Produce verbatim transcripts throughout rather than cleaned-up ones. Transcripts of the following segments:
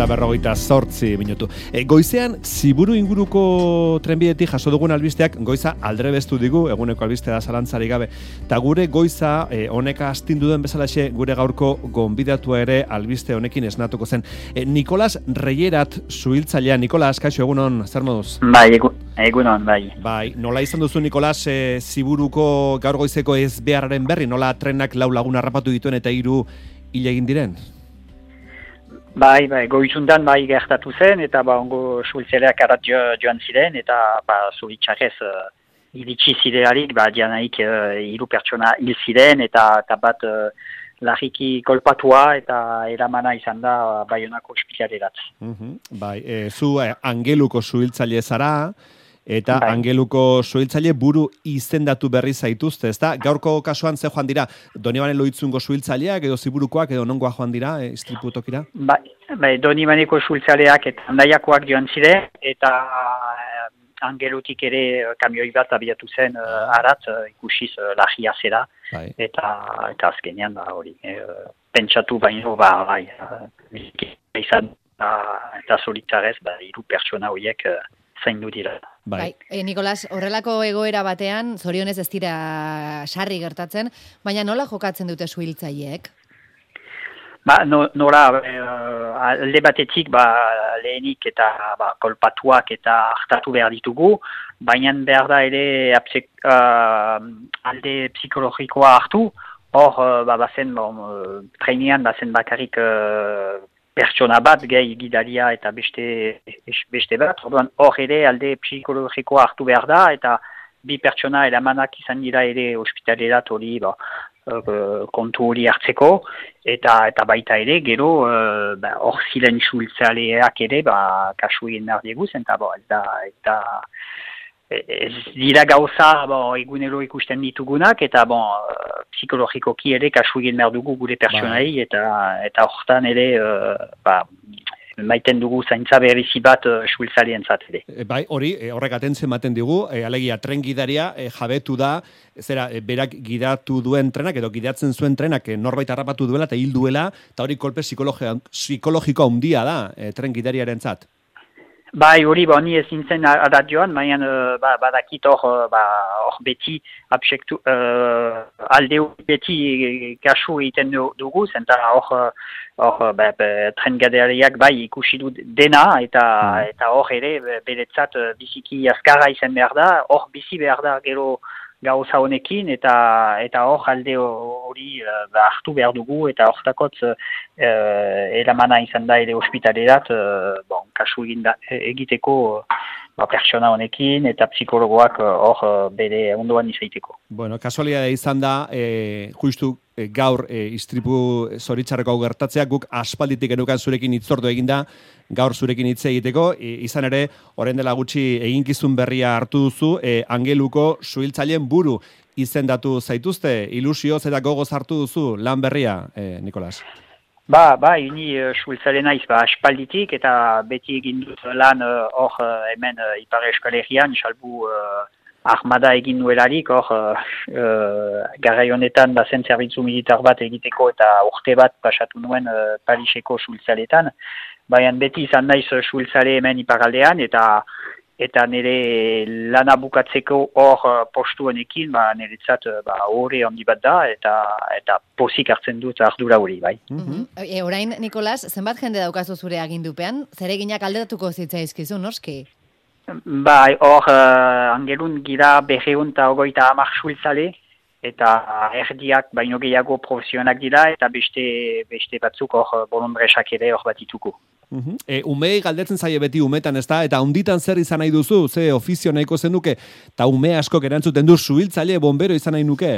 eta berrogeita zortzi minutu. E, goizean, Ziburu inguruko trenbidetik jaso dugun albisteak goiza aldrebestu digu, eguneko albistea da zalantzari gabe. Ta gure goiza, e, honeka astindu duen bezalaxe, gure gaurko gonbidatua ere albiste honekin esnatuko zen. E, Nikolas Reyerat zuhiltzailea. Nikolas, kaixo, egunon, zer moduz? Bai, egunon, bai. Bai, nola izan duzu, Nikolas, e, Ziburuko gaur goizeko ez beharraren berri, nola trenak lau lagun harrapatu dituen eta hiru hil egin diren? Bai, bai, goizundan bai gertatu zen, eta ba, ongo suhiltzaileak arat jo, joan ziren, eta ba, zuhiltzarez uh, iritsi ziderarik, ba, dianaik uh, hiru pertsona hil ziren, eta, eta bat uh, larriki kolpatua, eta eramana izan da uh, Baionako ospitalerat. Uh-huh. Bai, e, zu eh, Angeluko zuhiltzaile zara, eta bai. Angeluko zuhiltzaile buru izendatu berri zaituzte, ezta? Gaurko kasuan ze joan dira, Donibane Lohitzungo zuhiltzaileak edo Ziburukoak edo nongoa joan dira, e, istripu tokira? Bai, bai, Donibaneko zuhiltzaileak eta Andaiakoak joan ziren, eta eh, Angelutik ere kamioi bat abiatu zen uh, arat, uh, ikusiz uh, lagia zera, bai. eta, eta azkenean da hori. E, pentsatu baino, ba, bai, uh, izan, uh, eta solitzarez, ba, hiru pertsona horiek uh, zaindu dira. Bai, bai e, Nikolas, horrelako egoera batean, zorionez ez dira sarri gertatzen, baina nola jokatzen dute suhiltzaileek? Ba, no, nora, uh, alde batetik, ba, lehenik eta ba, kolpatuak eta hartatu behar ditugu, baina behar da ere apsek, uh, alde psikologikoa hartu, hor, uh, ba, bazen, bon, uh, trainean bazen bakarrik uh, pertsona bat, gehi gidaria eta beste, beste bat, orduan hor ere alde psikologikoa hartu behar da, eta bi pertsona eramanak izan dira ere ospitalerat hori, ba, Uh, kontu hori hartzeko, eta eta baita ere, gero, uh, ba, hor ziren suhiltzaileak ere, ba, kasu egin behar dieguz, eta bo, ez da, eta ez dira gauza, bo, egunero ikusten ditugunak, eta bo, psikologikoki ere kasu egin behar dugu gure personai, eta eta hortan ere, uh, ba, maiten dugu zaintza berrizi bat uh, suhiltzaileen-zat ere. E, bai, hori, e, horrek atentzen ematen digu, e, alegia, tren gidaria e, jabetu da, zera, e, berak gidatu duen trenak, edo gidatzen zuen trenak, e, norbait harrapatu duela eta hil duela, eta hori kolpe psikologiko handia da, e, tren gidariaren-zat. Bai, hori, ba, ni ez nintzen adat joan, baina uh, ba, badakit hor uh, ba, beti absektu, uh, alde beti kasu egiten dugu, zenta hor hor ba, ba, tren gidariak bai ikusi du dena, eta mm. eta hor ere beretzat biziki azkarra izan behar da, hor bizi behar da gero gauza honekin, eta eta hor alde hori uh, hartu behar dugu, eta hortakotz uh, eramana izan da ere ospitalerat, uh, bon, kasu egin da, egiteko uh, ba, pertsona honekin, eta psikologoak hor uh, bere ondoan izaiteko. Bueno, kasualidadea izan da, e, justu e, gaur e, istripu zoritzarreko hau gertatzeak, guk aspalditik genukan zurekin hitzordu eginda, gaur zurekin hitz egiteko, e, izan ere, orain dela gutxi eginkizun berria hartu duzu, e, Angeluko zuhiltzaileen buru izendatu zaituzte, ilusioz eta gogoz hartu duzu lan berria, e, Nikolas? Ba, ba, ini uh, suhiltzaile naiz, ba, aspalditik, eta beti egin dut lan hor uh, hemen uh, Ipar Euskal Herrian, salbu uh, armada egin nuelarik, hor uh, uh, garai honetan bazen zerbitzu militar bat egiteko eta urte bat pasatu nuen uh, Pariseko suhiltzaileetan, baina beti izan naiz uh, suhiltzaile hemen iparaldean, eta eta nire lana bukatzeko hor uh, postu honekin, ba, niretzat uh, ba, hori handi bat da, eta eta pozik hartzen dut ardura hori, bai. Mm-hmm. E, orain, Nikolas, zenbat jende daukazu zure agindupean? Zereginak aldatuko zitzaizkizu, noski? Bai, hor, uh, Angelun gira berreun eta ogoita hamar suhiltzaile, eta erdiak baino gehiago profesionak dira, eta beste, beste batzuk hor bolondresak ere hor batituko. Uh-huh. E, umei galdetzen zaie beti umetan, ez da? Eta hunditan zer izan nahi duzu? Ze ofizio nahiko zenuke? Eta ume askok erantzuten du suhiltzaile bombero izan nahi nuke?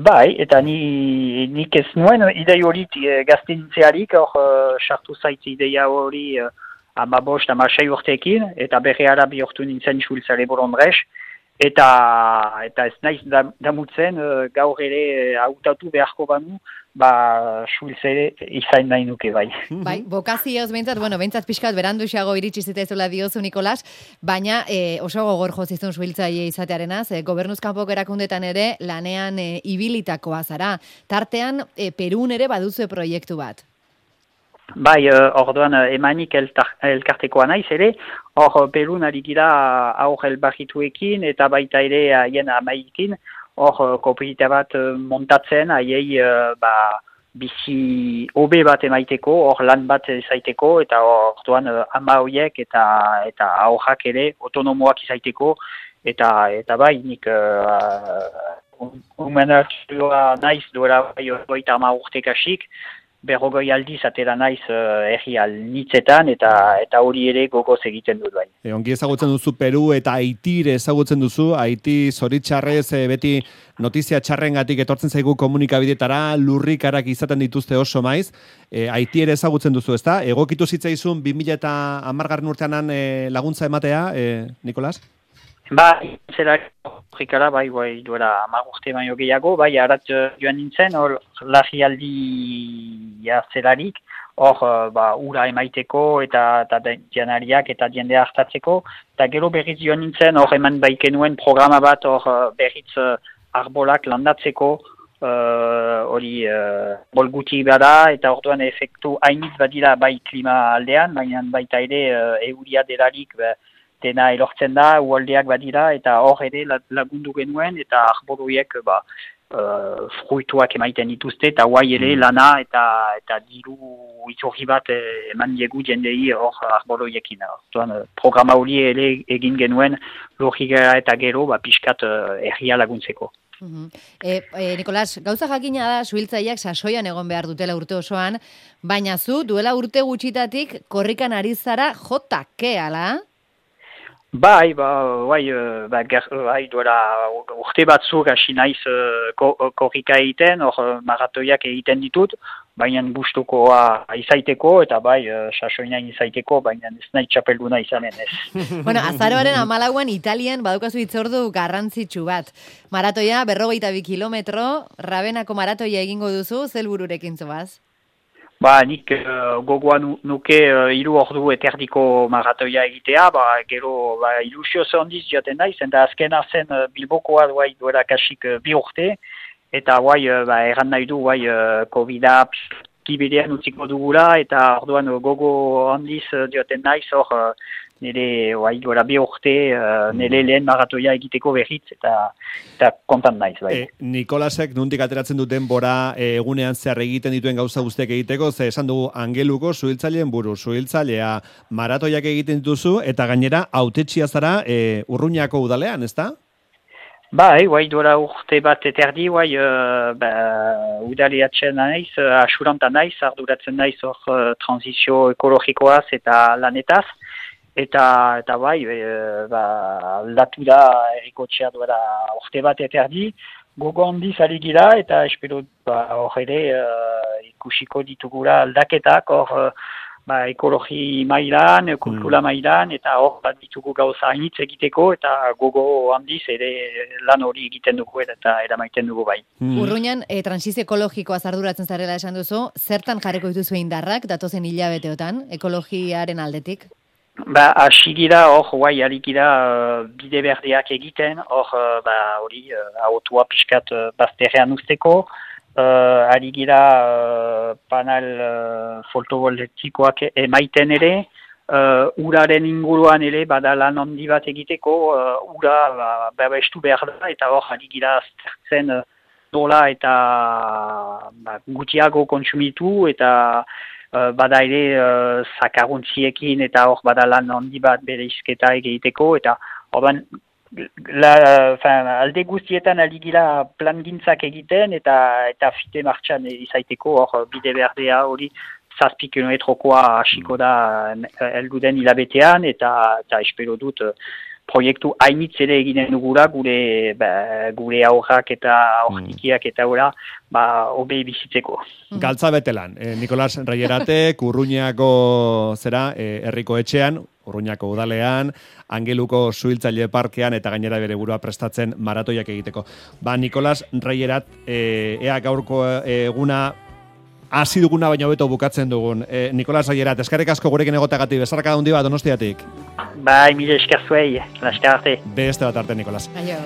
Bai, eta ni, nik ez nuen idei hori gaztentzearik, hor sartu zaitz ideia hori uh, amabost, amasei urteekin, eta berreara bihurtu nintzen suhiltzaile bolondres, eta, eta ez naiz damutzen uh, gaur ere hautatu beharko banu, ba, suhiltzaile izan nahi nuke, bai. Bai, bokazioz behintzat, bueno, behintzat pixkat beranduxago iritsi zitezula diozu, Nikolas, baina e, oso gogor jozizun suhiltzaile izatearenaz, e, gobernuz kanpoko erakundetan ere lanean e, ibilitakoa zara. Tartean, e, Perun ere baduzue proiektu bat. Bai, uh, orduan uh, emanik eltar, elkartekoa naiz ere, hor pelun ari gira aur elbarrituekin eta baita ere haien amaikin, hor uh, kooperativa bat uh, montatzen, haiei uh, ba, bizi hobe bat emaiteko, hor lan bat izaiteko, eta orduan uh, ama horiek eta eta aurrak ere autonomoak izaiteko, eta eta bai, nik uh, humanatxua naiz duela bai goita ama urtekasik, berrogoi aldiz atera naiz uh, erri alnitzetan eta eta hori ere gogoz egiten dut bai. E, ongi ezagutzen duzu Peru eta Haiti ezagutzen duzu, Haiti zoritxarrez e, beti notizia txarrengatik etortzen zaigu komunikabidetara, lurrikarak izaten dituzte oso maiz, e, Haiti ere ezagutzen duzu, ezta? Egokitu zitzaizun bi mila hamargarren urteanan e, laguntza ematea, e, Nikolas? Ba, zera horrikara, bai, bai, duela hamar urte baino gehiago, bai, arat joan nintzen, hor, larrialdia zelarik, hor, ba, ura emaiteko, eta, eta janariak, eta jendea hartatzeko, eta gero berriz joan nintzen, hor, eman baikenuen programa bat, hor, berriz arbolak landatzeko, hori, uh, bol guti bada, eta orduan efektu hainitz badira, bai, klima aldean, baina baita ere, uh, euria delarik, ba, dena elortzen da, ualdeak badira, eta hor ere lagundu genuen, eta arboroiek ba, uh, fruituak emaiten dituzte, eta guai ere lana eta eta diru itzorri bat eman diegu jendei hor arboroiekin. Orduan, programa hori ere egin genuen lurrigara eta gero ba, pixkat uh, herria laguntzeko. Uhum. E, e, Nikolas, gauza jakina da, suhiltzaileak sasoian egon behar dutela urte osoan, baina zu duela urte gutxitatik korrikan ari zara jotake, ala? Bai, ba, bai, ba, bai, duela urte batzuk hasi naiz korrika egiten, hor maratoiak egiten ditut, baina gustukoa izaiteko, eta bai, sasoinain izaiteko, baina ez nahi txapelduna izanen ez. Bueno, azaroaren hamalauan Italian badukazu hitzordu garrantzitsu bat. Maratoia, berrogeita bi kilometro, Rabenako maratoia egingo duzu, zel bururekin zoaz? Ba, nik uh, gogoa nu, nuke uh, hiru ordu eterdiko maratoia egitea, ba, gero ba, ilusio zondiz jaten naiz, eta azken arzen uh, Bilbokoa duai duela kasik uh, bi urte, eta guai, uh, ba, erran nahi du, guai, uh, COVID-a kibidean utziko dugula, eta orduan uh, gogo handiz uh, jaten naiz, hor, uh, nire, guai, duela bi urte, uh, nire lehen maratoia egiteko berriz, eta, eta kontan naiz, bai. E, Nikolasek nundik ateratzen duten bora e, egunean zehar egiten dituen gauza guztiak egiteko, ze esan dugu Angeluko suhiltzaileen buru, suhiltzailea maratoiak egiten dituzu, eta gainera hautetsia zara e, Urruñako udalean, ezta? Bai, guai, duela urte bat eterdi, guai, uh, ba, udaleatzen naiz, uh, asuranta naiz, arduratzen naiz hor uh, transizio ekologikoaz eta lanetaz, Eta, eta bai, e, ba, aldatu da errikotxea duela urte bat eterdi, gogo handiz ari gira, eta espero ba, hor ere uh, ikusiko ditugula aldaketak, hor ba, ekologi mailan, kultura mailan, eta hor bat ditugu gauza hainitz egiteko, eta gogo handiz ere lan hori egiten dugu eta eramaiten dugu bai. Mm. Urruñan, e, transizio ekologikoa arduratzen zarela esan duzu, zertan jarriko dituzu indarrak, datozen hilabeteotan, ekologiaren aldetik? Ba, asigira hor, guai, alikira uh, bide berdeak egiten, hor, uh, ba, hori, uh, autua pixkat uh, bazterrean usteko, uh, alikira uh, panel uh, fotovoltaikoak emaiten ere, uh, uraren inguruan ere, bada lan handi bat egiteko, uh, ura ba, babestu behar da, eta hor, alikira zertzen uh, dola eta ba, gutiago kontsumitu, eta Uh, bada ere uh, zakaruntziekin eta hor bada lan handi bat bere izketa egiteko, eta orban, la, fin, alde guztietan aligila plangintzak egiten eta eta fite martxan izaiteko, hor bide berdea hori zazpi kilometrokoa hasiko da heldu den hilabetean, eta, eta espero dut uh, proiektu hainitz ere eginen dugula, gure, ba, gure aurrak eta aurtikiak eta ora, ba, hobe bizitzeko. Galtza betelan, eh, Nikolas Rayeratek, Urruñako zera, eh, herriko etxean, Urruñako udalean, Angeluko suhiltzaile parkean, eta gainera bere burua prestatzen maratoiak egiteko. Ba, Nikolas Rayerat, eh, ea gaurko eguna, hasi duguna baina hobeto bukatzen dugun. Eh, Nikolas Rayerat, eskerrik asko gurekin egotagatik, bezarka handi bat Donostiatik. Bai, mire esker zuei, laskar arte. Beste bat arte, Nikolas. Aio.